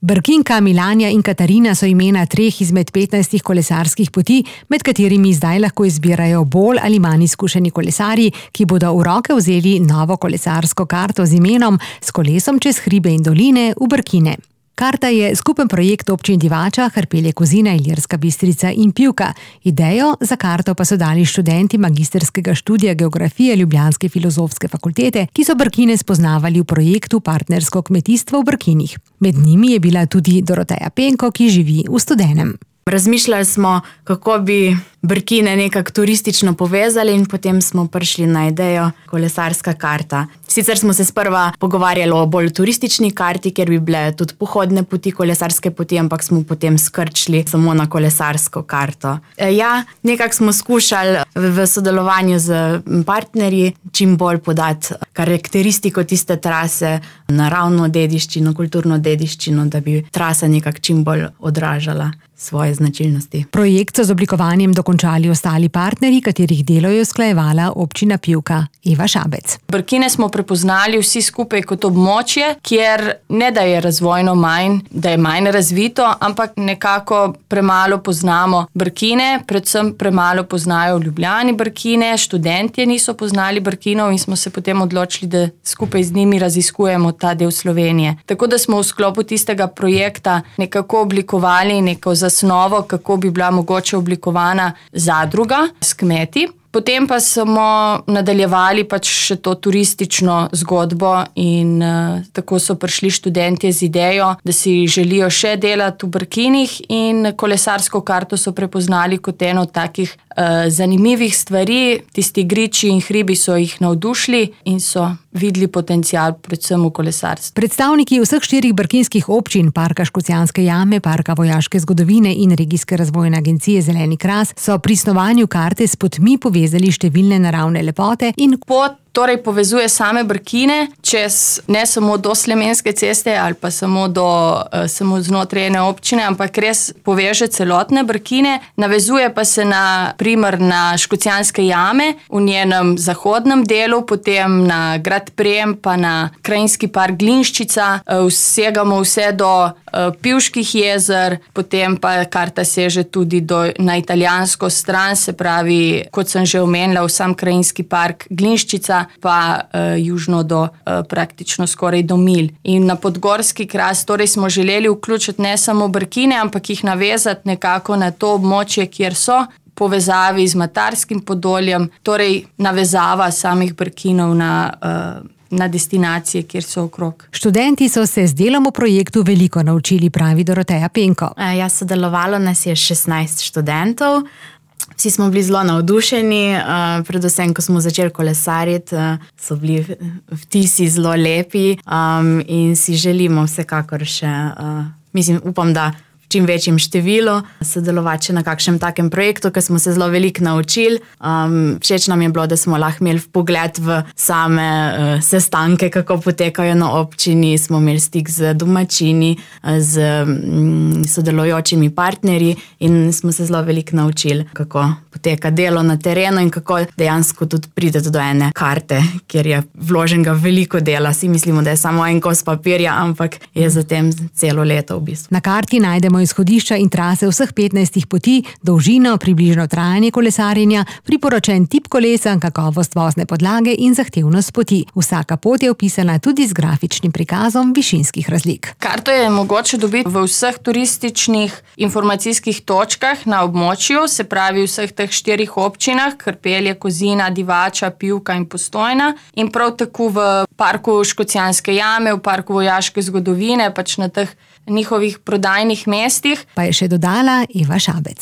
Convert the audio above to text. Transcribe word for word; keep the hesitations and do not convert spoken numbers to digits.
Brkinka, Milanja in Katarina so imena treh izmed petnajstih kolesarskih poti, med katerimi zdaj lahko izbirajo bolj ali manj izkušeni kolesarji, ki bodo v roke vzeli novo kolesarsko karto z imenom S kolesom čez hribe in doline v Brkine. Karta je skupen projekt občin Divača, Hrpelje, Kozina, Ilirska Bistrica in Pivka. Idejo za karto pa so dali študenti magistrskega študija geografije Ljubljanske filozofske fakultete, ki so Brkine spoznavali v projektu Partnersko kmetijstvo v Brkinih. Med njimi je bila tudi Doroteja Penko, ki živi v Studenem. Razmišljali smo, kako bi Brkine nekako turistično povezali in potem smo prišli na idejo kolesarska karta. Sicer smo se sprva pogovarjali o bolj turistični karti, kjer bi bile tudi pohodne poti, kolesarske poti, ampak smo potem skrčili samo na kolesarsko karto. Ja, nekako smo skušali v sodelovanju z partnerji čim bolj podati karakteristiko tiste trase, naravno dediščino, kulturno dediščino, da bi trasa nekako čim bolj odražala svoje značilnosti. Projekt so z oblikovanjem dokončali ostali partnerji, katerih delo je usklajevala občina Pivka. Eva Šabec. Brkine smo prepoznali vsi skupaj kot območje, kjer ne da je razvojno manj, da je manj razvito, ampak nekako premalo poznamo Brkine, predvsem premalo poznajo v Ljubljani Brkine, študentje niso poznali Brkinov in smo se potem odločili, da skupaj z njimi raziskujemo ta del Slovenije. Tako da smo v sklopu tistega projekta nekako oblikovali neko zasnovo, kako bi bila mogoče oblikovana zadruga s kmeti. Potem pa smo nadaljevali pač še to turistično zgodbo in uh, tako so prišli študentje z idejo, da si želijo še delati v Brkinih in kolesarsko karto so prepoznali kot eno od takih uh, zanimivih stvari. Tisti griči in hribi so jih navdušili in so videli potencial predvsem v kolesarstvu. Predstavniki vseh štirih brkinskih občin, Parka Škocjanske jame, Parka vojaške zgodovine in Regijske razvojne agencije Zeleni kras, so pri snovanju karte s potmi povezali številne naravne lepote in pot torej povezuje same Brkine čez ne samo do Slemenske ceste ali pa samo do uh, samo znotraj ene občine, ampak res poveže celotne Brkine, navezuje pa se na primer na Škocjanske jame v njenem zahodnem delu, potem na grad Prem, pa na krajinski park Glinščica, uh, vsegamo vse do uh, Pivških jezer, potem pa karta seže tudi do, na italijansko stran, se pravi, kot sem že omenila, v sam krajinski park Glinščica, pa uh, južno do uh, praktično skoraj do Milj. In na podgorski kras torej smo želeli vključiti ne samo Brkine, ampak jih navezati nekako na to območje, kjer so povezavi z Matarskim Podoljem, torej navezava samih Brkinov na uh, na destinacije, kjer so okrog. Študenti so se z delom v projektu veliko naučili, pravi Doroteja Penko. Ja, sodelovalo nas je šestnajst študentov. Vsi smo bili zelo navdušeni, predvsem, ko smo začeli kolesariti, so bili vtisi zelo lepi in si želimo vsekakor še, mislim, upam, da v čim večjem številu sodelovati na kakšnem takem projektu, ker smo se zelo veliko naučili. Um, všeč nam je bilo, da smo lahko imeli pogled v same uh, sestanke, kako potekajo na občini, smo imeli stik z domačini, z um, sodelujočimi partnerji in smo se zelo veliko naučili, kako poteka delo na terenu in kako dejansko tudi pridete do ene karte, kjer je vloženega veliko dela. Vsi mislimo, da je samo en kos papirja, ampak je zatem celo leto v bistvu. Na karti najdemo izhodišča in trase vseh petnajstih poti, dolžino, približno trajanje kolesarjenja, priporočen tip kolesa, kakovost vozne podlage in zahtevnost poti. Vsaka pot je opisana tudi z grafičnim prikazom višinskih razlik. Karto je mogoče dobiti v vseh turističnih informacijskih točkah na območju, se pravi v vseh teh štirih občinah, Hrpelje, Kozina, Divača, Pivka in Postojna, in prav tako v Parku Škocjanske jame, v Parku vojaške zgodovine, pač na teh njihovih prodajnih mestih. Pa je še dodala Eva Šabec.